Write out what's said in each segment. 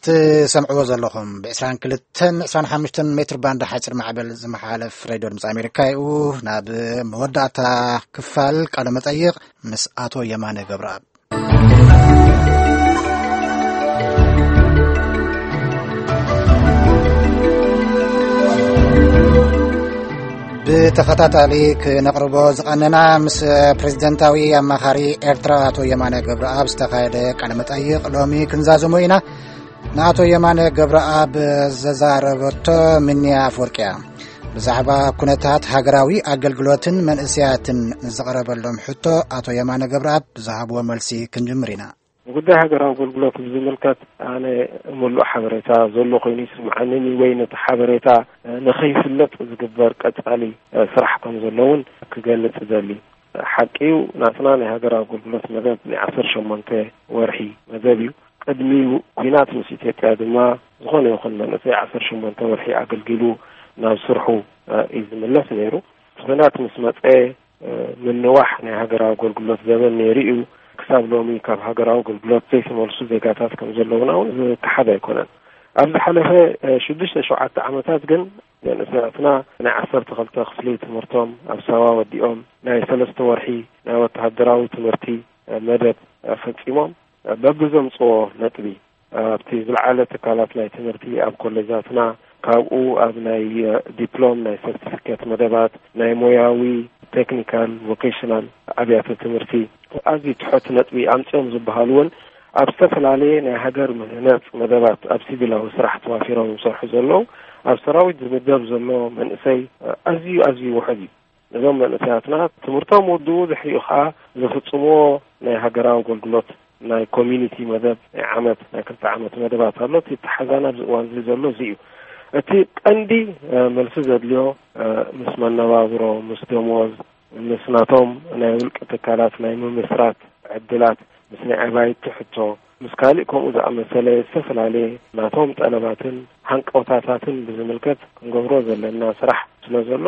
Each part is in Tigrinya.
ትሰምዕዎ ዘለኹም ብ22 25 ሜትር ባንድ ሓፂር ማዕበል ዝመሓለፍ ሬድዮ ድምፂ ኣሜሪካ እዩ። ናብ መወዳእታ ክፋል ቃለ መጠይቕ ምስ ኣቶ የማነ ገብረኣብ። ብተኸታታሊ ክነቕርቦ ዝቐነና ምስ ፕሬዚደንታዊ ኣማኻሪ ኤርትራ ኣቶ የማነ ገብረኣብ ዝተኻየደ ቃለ መጠይቕ ሎሚ ክንዛዘሞ ኢና። ንኣቶ የማነ ገብረኣብ ዘዛረበቶ ምንያ ኣፍወርቂ እያ። ብዛዕባ ኩነታት ሃገራዊ ኣገልግሎትን መንእሰያትን ንዝቐረበሎም ሕቶ ኣቶ የማነ ገብረኣብ ብዝሃብዎ መልሲ ክንጅምር ኢና። ንጉዳይ ሃገራዊ ኣገልግሎት ብዝምልከት ኣነ ምሉእ ሓበሬታ ዘሎ ኮይኑ ይስምዓንን እዩ፣ ወይ ነቲ ሓበሬታ ንኸይፍለጥ ዝግበር ቀጻሊ ስራሕ ከም ዘሎ እውን ክገልጽ እደሊ። ሓቂ እዩ፣ ናትና ናይ ሃገራዊ ኣገልግሎት መደብ ናይ ዓሰርተ ሸሞንተ ወርሒ መደብ እዩ። ቅድሚ ኩናት ምስ ኢትዮጵያ ድማ ዝኾነ ይኹን መንእሰይ ዓሰርተ ሸሞንተ ወርሒ ኣገልጊሉ ናብ ስርሑ እዩ ዝምለስ ነይሩ። ኩናት ምስ መጸ ምንዋሕ ናይ ሃገራዊ ኣገልግሎት ዘበን ነይሩ እዩ። ክሳብ ሎሚ ካብ ሃገራዊ ኣገልግሎት ዘይተመልሱ ዜጋታት ከም ዘለውና እውን ዝከሓድ ኣይኮነን። ኣብ ዝሓለፈ ሽዱሽተ ሸውዓተ ዓመታት ግን መንእሰያትና ናይ ዓሰርተ ክልተ ክፍሊ ትምህርቶም ኣብ ሳዋ ወዲኦም ናይ ሰለስተ ወርሒ ናይ ወተሃደራዊ ትምህርቲ መደብ ፈጺሞም በብዘምጽዎ ነጥቢ ኣብቲ ዝለዓለ ትካላት ናይ ትምህርቲ ኣብ ኮሌጃትና፣ ካብኡ ኣብ ናይ ዲፕሎም ናይ ሰርቲፊኬት መደባት ናይ ሞያዊ ቴክኒካል ቮኬሽናል ኣብያተ ትምህርቲ ኣዝዩ ትሑት ነጥቢ ኣምፅኦም ዝበሃሉ እውን ኣብ ዝተፈላለየ ናይ ሃገር ምህነፅ መደባት ኣብ ሲቪላዊ ስራሕ ተዋፊሮም ዝሰርሑ ዘለዉ ኣብ ሰራዊት ዝምደብ ዘሎ መንእሰይ ኣዝዩ ኣዝዩ ውሑድ እዩ። ነዞም መንእሰያትና ትምህርቶም ውድኡ ድሕሪኡ ከዓ ዝፍፅምዎ ናይ ሃገራዊ ኣገልግሎት ናይ ኮሚኒቲ መደብ ናይ ዓመት ናይ ክልተ ዓመት መደባት ኣሎ። እቲ ተሓዛን ኣብዚ እዋን እዚ ዘሎ እዚ እዩ። እቲ ቀንዲ መልሲ ዘድልዮ ምስ መነባብሮ ምስ ደሞዝ ምስ ናቶም ናይ ውልቂ ትካላት ናይ ምምስራት ዕድላት ምስ ናይ ኣባይቲ ሕቶ ምስ ካልእ ከምኡ ዝኣመሰለ ዝተፈላለየ ናቶም ጠለባትን ሃንቀውታታትን ብዝምልከት ክንገብሮ ዘለና ስራሕ ስለ ዘሎ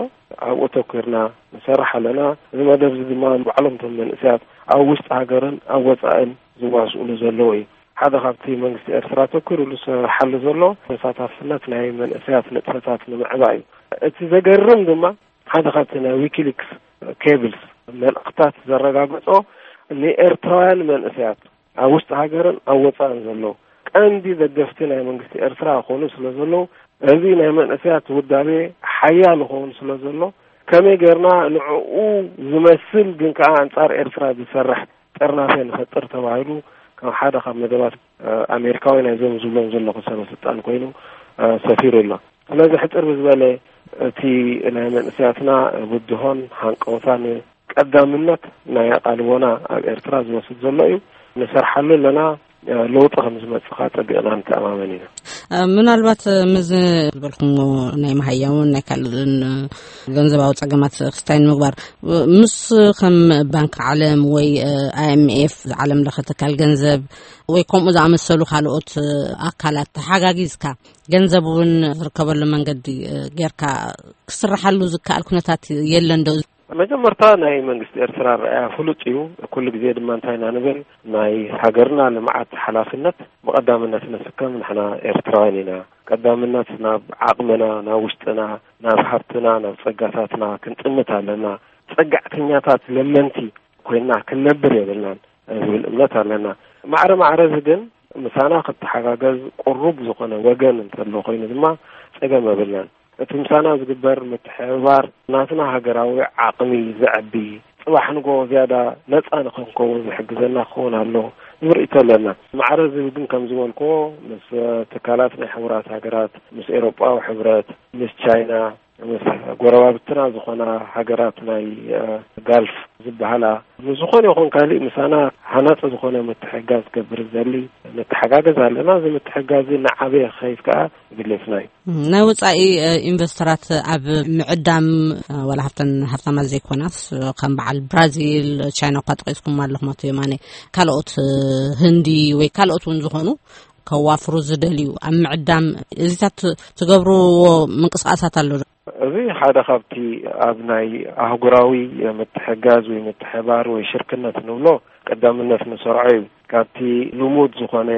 ኣብኡ ተኩርና ንሰርሕ ኣለና። እዚ መደብ እዚ ድማ ባዕሎም እቶም መንእሰያት ኣብ ውሽጢ ሃገርን ኣብ ወፃእን ዝዋስኡሉ ዘለዉ እዩ። ሓደ ካብቲ መንግስቲ ኤርትራ ተኩርሉ ዝሰርሓሉ ዘሎ ተሳታፍነት ናይ መንእሰያት ንጥፈታት ንምዕባ እዩ። እቲ ዘገርም ድማ ሓደ ካብቲ ናይ ዊኪሊክስ ኬብልስ መልእኽታት ዘረጋገጾ ንኤርትራውያን መንእሰያት ኣብ ውሽጢ ሃገርን ኣብ ወፃእን ዘለዉ ቀንዲ ደገፍቲ ናይ መንግስቲ ኤርትራ ክኾኑ ስለ ዘለዉ እዚ ናይ መንእሰያት ውዳቤ ሓያል ክኸውን ስለ ዘሎ ከመይ ጌርና ንዕኡ ዝመስል ግን ከዓ ኣንጻር ኤርትራ ዝሰርሕ ጥርናፈ ንፈጥር ተባሂሉ ከም ሓደ ካብ መደባት ኣሜሪካዊ ናይዞም ዝብሎም ዘለኹ ሰበ ስልጣን ኮይኑ ሰፊሩ ኣሎ። ስለዚ ሕፅር ብዝበለ እቲ ናይ መንእሰያትና ብድሆን ሃንቀውታን ቀዳምነት ናይ ኣቓልቦና ኣብ ኤርትራ ዝወስድ ዘሎ እዩ። ንሰርሓሉ ኣለና። ለውጢ ከም ዝመፅእ ከዓ ፀቢቕና ንተኣማመን ኢና። ምናልባት ምዚ ዝበልኩሞ ናይ መሃያውን ናይ ካልእን ገንዘባዊ ፀገማት ክስታይ ንምግባር ምስ ከም ባንክ ዓለም ወይ ኣይኤምኤፍ ዓለም ለኸ ትካል ገንዘብ ወይ ከምኡ ዝኣመሰሉ ካልኦት ኣካላት ተሓጋጊዝካ ገንዘብ እውን ዝርከበሉ መንገዲ ጌርካ ክስርሓሉ ዝከኣል ኩነታት የለን ዶ? መጀመርታ ናይ መንግስቲ ኤርትራ ረኣያ ፍሉጥ እዩ። ኩሉ ግዜ ድማ እንታይ ኢና ንብል፣ ናይ ሃገርና ልምዓት ሓላፍነት ብቐዳምነት ንስከም ንሕና ኤርትራውያን ኢና። ቀዳምነት ናብ ዓቕምና፣ ናብ ውሽጥና፣ ናብ ሃብትና፣ ናብ ጸጋታትና ክንጥምት ኣለና። ጸጋዕተኛታት ለመንቲ ኮይና ክንነብር የብልናን ዝብል እምነት ኣለና። ማዕረ ማዕረ እዚ ግን ምሳና ክትተሓጋገዝ ቅሩብ ዝኾነ ወገን እንተሎ ኮይኑ ድማ ጸገም የብልናን። እቲ ምሳና ዝግበር ምትሕብባር ናትና ሃገራዊ ዓቕሚ ዘዕቢ፣ ጽባሕ ንጎ ዝያዳ ነጻ ንኽንከውን ዝሕግዘና ክኸውን ኣሎ ዝብል ርእይቶ ኣለና። ማዕረ እዚ ግን ከም ዝበልክዎ ምስ ትካላት ናይ ሕቡራት ሃገራት፣ ምስ ኤውሮጳዊ ሕብረት፣ ምስ ቻይና፣ ምስ ጎረባብትና ዝኾና ሃገራት ናይ ጋልፍ ዝበሃላ ምስ ዝኾነ ይኹን ካሊእ ምሳና ሃናጺ ዝኾነ ምትሕግጋዝ ክገብር ዝደሊ ንተሓጋገዝ ኣለና። እዚ ምትሕግጋዝ እዚ እናዓበየ ክኸይድ ከዓ ድሌትና እዩ። ናይ ወፃኢ ኢንቨስተራት ኣብ ምዕዳም ዋላ ሃብተን ሃብታማት ዘይኮናስ ከም በዓል ብራዚል፣ ቻይና እኳ ጠቂስኩም ኣለኹም ኣቶ የማነ፣ ካልኦት ህንዲ ወይ ካልኦት እውን ዝኾኑ ከዋፍሩ ዝደልዩ ኣብ ምዕዳም እዚታት ትገብርዎ ምንቅስቃሳት ኣሎ ዶ? እዚ ሓደ ካብቲ ኣብ ናይ ኣህጉራዊ ምትሕጋዝ ወይ ምትሕባር ወይ ሽርክነት ንብሎ ቀዳምነት ንሰርዖ እዩ። ካብቲ ልሙድ ዝኾነ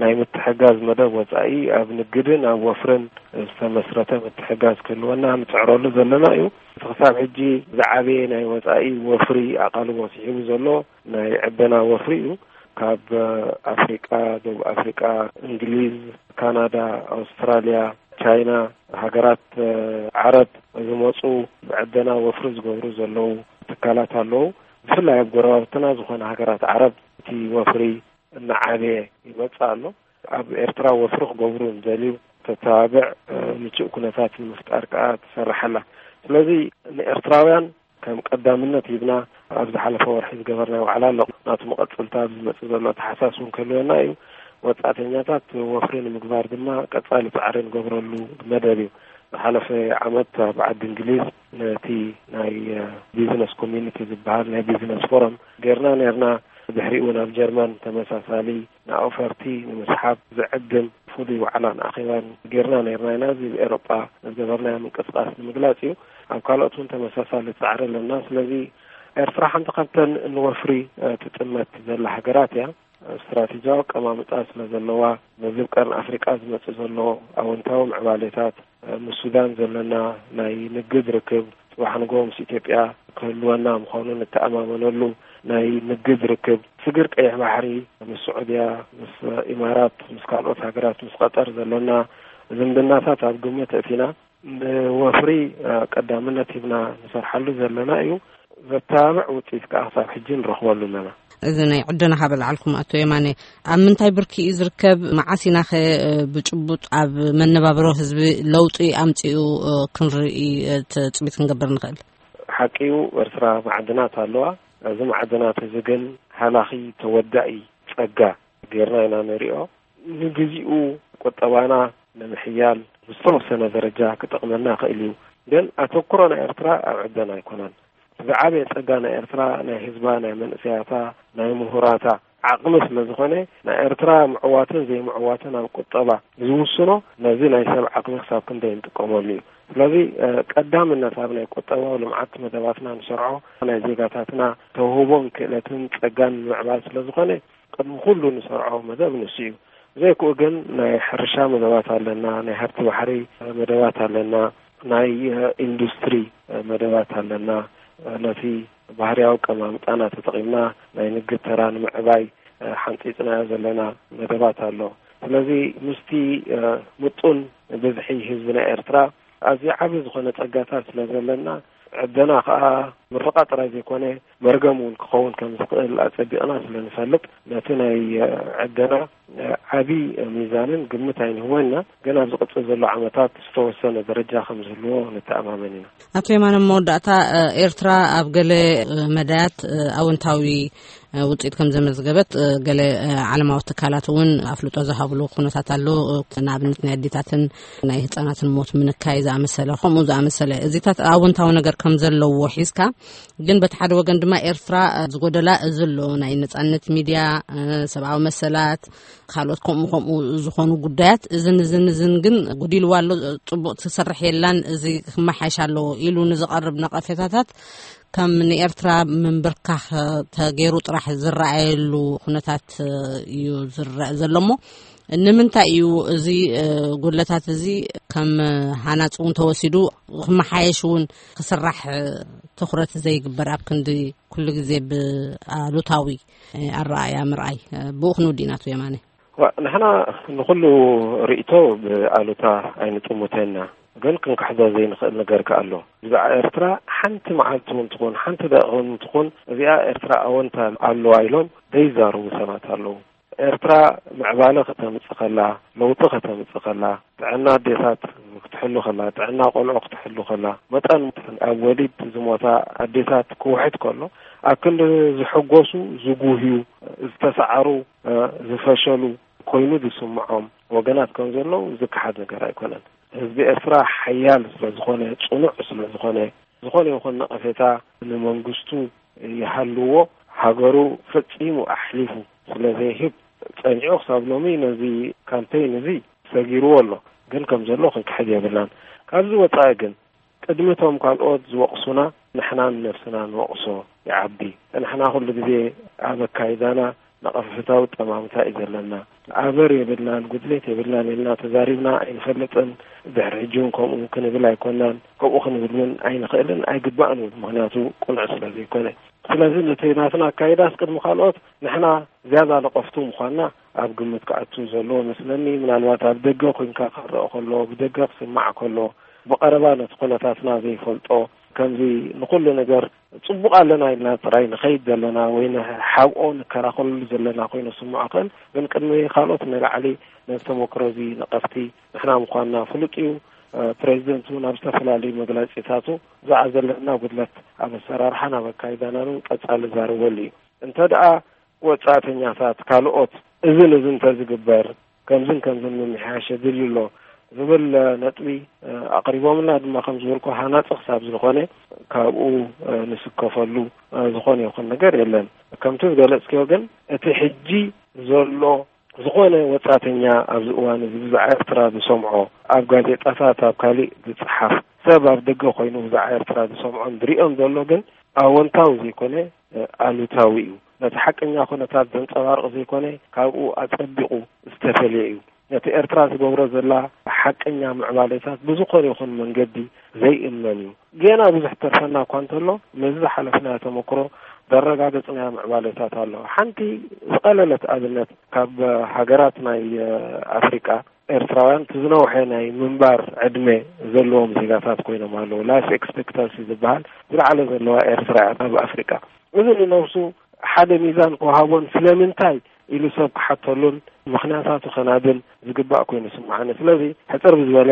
ናይ ምትሕጋዝ መደብ ወጻኢ ኣብ ንግድን ኣብ ወፍርን ዝተመስረተ ምትሕጋዝ ክህልወና ንጽዕረሉ ዘለና እዩ። እቲ ክሳብ ሕጂ ዝዓበየ ናይ ወጻኢ ወፍሪ ኣቓልቦ ስሒቡ ዘሎ ናይ ዕደና ወፍሪ እዩ። ካብ ኣፍሪቃ፣ ደቡብ ኣፍሪቃ፣ እንግሊዝ፣ ካናዳ፣ ኣውስትራልያ፣ ቻይና፣ ሃገራት ዓረብ ዝመፁ ብዕደና ወፍሪ ዝገብሩ ዘለዉ ትካላት ኣለዉ። ብፍላይ ኣብ ጎረባብትና ዝኾነ ሃገራት ዓረብ እቲ ወፍሪ እናዓበየ ይመፅእ ኣሎ። ኣብ ኤርትራ ወፍሪ ክገብሩ ንደልዩ ተተባብዕ ምቹእ ኩነታት ንምፍጣር ከዓ ትሰርሕ ኣላ። ስለዚ ንኤርትራውያን ከም ቀዳምነት ሂብና ኣብ ዝሓለፈ ወርሒ ዝገበርናዮ ዋዕላ ኣሎ። ናቱ መቐፅልታ ኣብ ዝመፅእ ዘሎ ተሓሳስ እውን ክህልወና እዩ። ወፃእተኛታት ወፍሪ ንምግባር ድማ ቀፃሊ ፃዕሪ ንገብረሉ መደብ እዩ። ዝሓለፈ ዓመት ኣብ ዓዲ እንግሊዝ ነቲ ናይ ቢዝነስ ኮሚኒቲ ዝበሃል ናይ ቢዝነስ ፎረም ጌርና ነርና። ድሕሪኡ ናብ ጀርመን ተመሳሳሊ ንኣውፈርቲ ንምስሓብ ዝዕድም ፍሉይ ዋዕላን ኣኼባን ጌርና ነርና ኢና። እዚ ብኤሮጳ ዝገበርናዮ ምንቅስቃስ ንምግላጽ እዩ። ኣብ ካልኦት እውን ተመሳሳሊ ጻዕሪ ኣለና። ስለዚ ኤርትራ ሓንቲ ካብተን ንወፍሪ ትጥመት ዘላ ሃገራት እያ። ስትራቴጂያዊ ኣቀማምጣ ስለ ዘለዋ፣ በዚ ቀርኒ ኣፍሪቃ ዝመጽእ ዘሎ ኣወንታዊ ምዕባሌታት፣ ምስ ሱዳን ዘለና ናይ ንግድ ርክብ፣ ጽባሕ ንግሆ ምስ ኢትዮጵያ ክህልወና ምዃኑ ንተኣማመነሉ ናይ ንግድ ርክብ፣ ስግር ቀይሕ ባሕሪ ምስ ስዑድያ፣ ምስ ኢማራት፣ ምስ ካልኦት ሃገራት፣ ምስ ቀጠር ዘለና ዝምድናታት ኣብ ግምት ኣእቲና፣ ንወፍሪ ቀዳምነት ሂብና ንሰርሓሉ ዘለና እዩ። ዘተባብዕ ውጽኢት ከኣ ክሳብ ሕጂ ንረኽበሉ ኣለና። እዚ ናይ ዕደና ካብ ኣልዓልኩም ኣቶ የማነ፣ ኣብ ምንታይ ብርኪ እዩ ዝርከብ? መዓስ ኢናኸ ብጭቡጥ ኣብ መነባብሮ ህዝቢ ለውጢ ኣምጺኡ ክንርኢ ትጽቢት ክንገብር ንኽእል? ሓቂ እዩ፣ ኤርትራ ማዕድናት ኣለዋ። እዚ ማዕድናት እዚ ግን ሃላኺ ተወዳኢ ጸጋ ጌርና ኢና ንሪኦ። ንግዚኡ ቁጠባና ንምሕያል ብዝተወሰነ ደረጃ ክጠቕመና ይኽእል እዩ። ግን ኣተኩሮ ናይ ኤርትራ ኣብ ዕደና ኣይኮነን። ዝዓበየ ጸጋ ናይ ኤርትራ ናይ ህዝባ፣ ናይ መንእሰያታ፣ ናይ ምሁራታ ዓቕሚ ስለ ዝኾነ፣ ናይ ኤርትራ ምዕዋትን ዘይምዕዋትን ኣብ ቁጠባ ዝውስኖ ነዚ ናይ ሰብ ዓቕሚ ክሳብ ክንደይ ንጥቀመሉ እዩ። ስለዚ ቀዳምነት ኣብ ናይ ቁጠባዊ ልምዓት መደባትና ንሰርዖ ናይ ዜጋታትና ተውህቦን ክእለትን ጸጋን ንምዕባል ስለ ዝኾነ፣ ቅድሚ ኩሉ ንሰርዖ መደብ ንሱ እዩ። ዘይክኡ ግን ናይ ሕርሻ መደባት ኣለና፣ ናይ ሃብቲ ባሕሪ መደባት ኣለና፣ ናይ ኢንዱስትሪ መደባት ኣለና። ነቲ ባህርያዊ ቀማምጣና ተጠቒምና ናይ ንግድ ተራ ንምዕባይ ሓንጺጽናዮ ዘለና መደባት ኣሎ። ስለዚ ምስቲ ምጡን ብዝሒ ህዝቢ ናይ ኤርትራ ኣዝዩ ዓቢ ዝኾነ ጸጋታት ስለ ዘለና፣ ዕደና ከኣ ምርቓ ጥራይ ዘይኮነ፣ መርገም እውን ክኸውን ከም ዝኽእል ኣጸቢቕና ስለ ንፈልጥ፣ ነቲ ናይ ዕደና ዓቢ ሚዛንን ግምት ኣይንህቦን ኢና። ግን ኣብ ዝቕጽል ዘሎ ዓመታት ዝተወሰነ ደረጃ ከም ዝህልዎ ንተኣማመን ኢና። ኣቶ የማነ፣ መወዳእታ፣ ኤርትራ ኣብ ገለ መዳያት ኣወንታዊ ውጽኢት ከም ዘመዝገበት፣ ገለ ዓለማዊ ትካላት እውን ኣፍልጦ ዝሃብሉ ኩነታት ኣሎ። ንኣብነት ናይ ኣዴታትን ናይ ህጻናትን ሞት ምንካይ ዝኣመሰለ፣ ከምኡ ዝኣመሰለ፣ እዚታት ኣወንታዊ ነገር ከም ዘለዎ ሒዝካ፣ ግን በቲ ሓደ ወገን ድማ ኤርትራ ዝጎደላ እዚ ኣሎ፣ ናይ ነጻነት ሚድያ፣ ሰብኣዊ መሰላት፣ ካልኦት ከምኡ ከምኡ ዝኾኑ ጉዳያት፣ እዝን እዝን እዝን ግን ጉዲልዋ ኣሎ፣ ጽቡቕ ትሰርሕ የላን፣ እዚ ክመሓየሽ ኣለዎ ኢሉ ንዝቐርብ ነቐፌታታት ከም ንኤርትራ ምንብርካኽ ተገይሩ ጥራሕ ዝረኣየሉ ኩነታት እዩ ዝረአ ዘሎ። እሞ ንምንታይ እዩ እዚ ጉድለታት እዚ ከም ሃናጺ እውን ተወሲዱ ክመሓየሽ እውን ክስራሕ ትኹረት ዘይግበር፣ ኣብ ክንዲ ኩሉ ግዜ ብኣሉታዊ ኣረኣእያ ምርኣይ? ብኡ ክንውዲ ኢና፣ ኣቶ የማነ። ዋ፣ ንሕና ንኹሉ ርእይቶ ብኣሉታ ኣይንጥምቶን ኢና፣ ግን ክንክሕዶ ዘይንኽእል ነገር ከኣ ኣሎ። ብዛዕባ ኤርትራ ሓንቲ መዓልቲ እውን ትኹን፣ ሓንቲ ደቂቕ እውን ትኹን፣ እዚኣ ኤርትራ ኣወንታ ኣለዋ ኢሎም ዘይዛረቡ ሰባት ኣለዉ። ኤርትራ ምዕባለ ከተምጽእ ከላ፣ ለውጢ ከተምጽእ ከላ፣ ጥዕና ኣዴታት ክትሕሉ ከላ፣ ጥዕና ቆልዑ ክትሕሉ ከላ፣ መጠን ኣብ ወሊድ ዝሞታ ኣዴታት ክውሕድ ከሎ፣ ኣብ ክንዲ ዝሕጎሱ ዝጉህዩ፣ ዝተሰዓሩ፣ ዝፈሸሉ ኮይኑ ዝስምዖም ወገናት ከም ዘለዉ ዝከሓድ ነገር ኣይኮነን። ህዝቢ ኤርትራ ሓያል ስለ ዝኾነ፣ ጽኑዕ ስለ ዝኾነ፣ ዝኾነ ይኹን ነቐፌታ ንመንግስቱ ይሃልዎ፣ ሃገሩ ፈጺሙ ኣሕሊፉ ስለ ዘይህብ፣ ጸኒዑ ክሳብ ሎሚ ነዚ ካምፔይን እዚ ሰጊርዎ ኣሎ። ግን ከም ዘሎ ክንክሕድ የብልናን። ካብዚ ወጻኢ ግን፣ ቅድሚ እቶም ካልኦት ዝወቕሱና ንሕና ንነብስና ንወቕሶ ይዓቢ። ንሕና ኩሉ ግዜ ኣብ ኣካይዳና ነቐፍታዊ ጠማምታ እዩ ዘለና። ኣበር የብልናን፣ ጉድሌት የብልናን ኢልና ተዛሪብና ኣይንፈልጥን። ድሕሪ ሕጂ እውን ከምኡ ክንብል ኣይኮናን፣ ከምኡ ክንብል እውን ኣይንኽእልን ኣይግባእን እውን፣ ምኽንያቱ ቅኑዕ ስለ ዘይኮነ። ስለዚ ነቲ ናትና ኣካይዳስ ቅድሚ ካልኦት ንሕና ዝያዳ ነቐፍቱ ምዃንና ኣብ ግምት ክኣቱ ዘለዎ መስለኒ። ምናልባት ኣብ ደገ ኮንካ ክረአ ከሎ፣ ብደገ ክስማዕ ከሎ፣ ብቐረባ ነቲ ኩነታትና ዘይፈልጦ፣ ከምዚ ንኹሉ ነገር ጽቡቕ ኣለና ኢልና ጥራይ ንኸይድ ዘለና ወይ ንሓብኦ ንከራኸለሉ ዘለና ኮይኑ ስምዖ ክእል፣ ግን ቅድሚ ካልኦት ንላዕሊ ነዚ ተመክሮ እዚ ነቐፍቲ ንሕና ምዃንና ፍሉጥ እዩ። ፕሬዚደንት እውን ኣብ ዝተፈላለዩ መግለጺታቱ ብዛዕባ ዘለና ጉድለት ኣብ ኣሰራርሓን ኣብ ኣካይዳናን እውን ቀጻሊ ዛረበሉ እዩ። እንተ ደኣ ወጻእተኛታት ካልኦት እዝን እዝን እንተዝግበር ከምዝን ከምዝን ምምሕያሽ የድልዩ ኣሎ ዝብል ነጥቢ ኣቕሪቦምልና ድማ ከም ዝበልኩ ሃናጺ ክሳብ ዝኾነ ካብኡ ንስከፈሉ ዝኾነ ይኹን ነገር የለን። ከምቲ ዝገለጽክዮ ግን እቲ ሕጂ ዘሎ ዝኾነ ወጻእተኛ ኣብዚ እዋን እዚ ብዛዕባ ኤርትራ ዝሰምዖ፣ ኣብ ጋዜጣታት፣ ኣብ ካሊእ ዝጽሓፍ፣ ሰብ ኣብ ደገ ኮይኑ ብዛዕባ ኤርትራ ዝሰምዖን ዝሪኦን ዘሎ ግን ኣወንታዊ ዘይኮነ ኣሉታዊ እዩ። ነቲ ሓቀኛ ኩነታት ዘንጸባርቕ ዘይኮነ ካብኡ ኣጸቢቑ ዝተፈልየ እዩ። ነቲ ኤርትራ ዝገብሮ ዘላ ሓቀኛ ምዕባለታት ብዝኾነ ይኹን መንገዲ ዘይእመን እዩ። ገና ብዙሕ ተርፈና እኳ እንተሎ፣ ነዚ ዝሓለፍናዮ ተመክሮ ዘረጋገጽናዮ ምዕባለታት ኣሎ። ሓንቲ ዝቐለለት ኣብነት ካብ ሃገራት ናይ ኣፍሪቃ፣ ኤርትራውያን እቲ ዝነውሐ ናይ ምንባር ዕድመ ዘለዎም ዜጋታት ኮይኖም ኣለዉ። ላይፍ ኤክስፔክታንሲ ዝበሃል ዝለዓለ ዘለዋ ኤርትራ እያ ኣብ ኣፍሪቃ። እዚ ንነብሱ ሓደ ሚዛን ክወሃቦን ስለምንታይ ኢሉ ሰብ ክሓተሉን ምኽንያታቱ ከናብን ዝግባእ ኮይኑ ስምዓኒ። ስለዚ ሕጽር ብዝበለ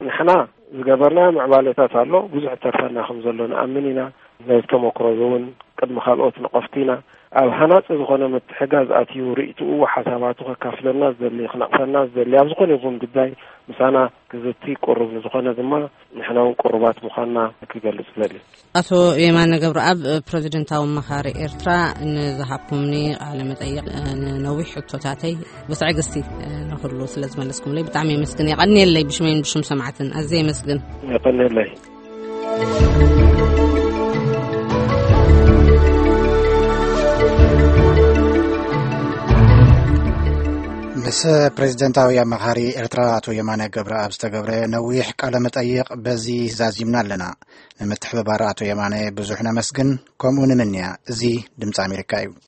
ንሕና ዝገበርናዮ ምዕባለታት ኣሎ፣ ብዙሕ ተርፈና ከም ዘሎ ንኣምን ኢና። ነዚ ተመክሮ እዚ እውን ቅድሚ ካልኦት ንቐፍቲ ኢና። ኣብ ሃናጺ ዝኾነ ምትሕጋዝ ኣትዩ ርእይትኡ፣ ሓሳባቱ ከካፍለና ዝደሊ፣ ክነቕፈና ዝደሊ፣ ኣብ ዝኾነ ይኹን ጉዳይ ምሳና ክዝቲ ቅሩብ ንዝኾነ ድማ ንሕና እውን ቅሩባት ምዃንና ክገልጽ እደሊ። ኣቶ የማነ ገብረኣብ፣ ፕረዚደንታዊ ኣማኻሪ ኤርትራ፣ ንዝሃብኩምኒ ቃለ መጠይቕ፣ ንነዊሕ ሕቶታተይ ብትዕግስቲ ንኹሉ ስለ ዝመለስኩምለይ ብጣዕሚ የመስግን። የቐንየለይ፣ ብሽመይን ብሽም ሰማዕትን ኣዝየ የመስግን። የቐንየለይ። ምስ ፕሬዚደንታዊ ኣማኻሪ ኤርትራ ኣቶ የማነ ገብረኣብ ዝተገብረ ነዊሕ ቃለ መጠይቕ በዚ ዛዚምና ኣለና። ንምትሕብባር ኣቶ የማነ ብዙሕ ነመስግን፣ ከምኡ ንምንያ። እዚ ድምፂ ኣሜሪካ እዩ።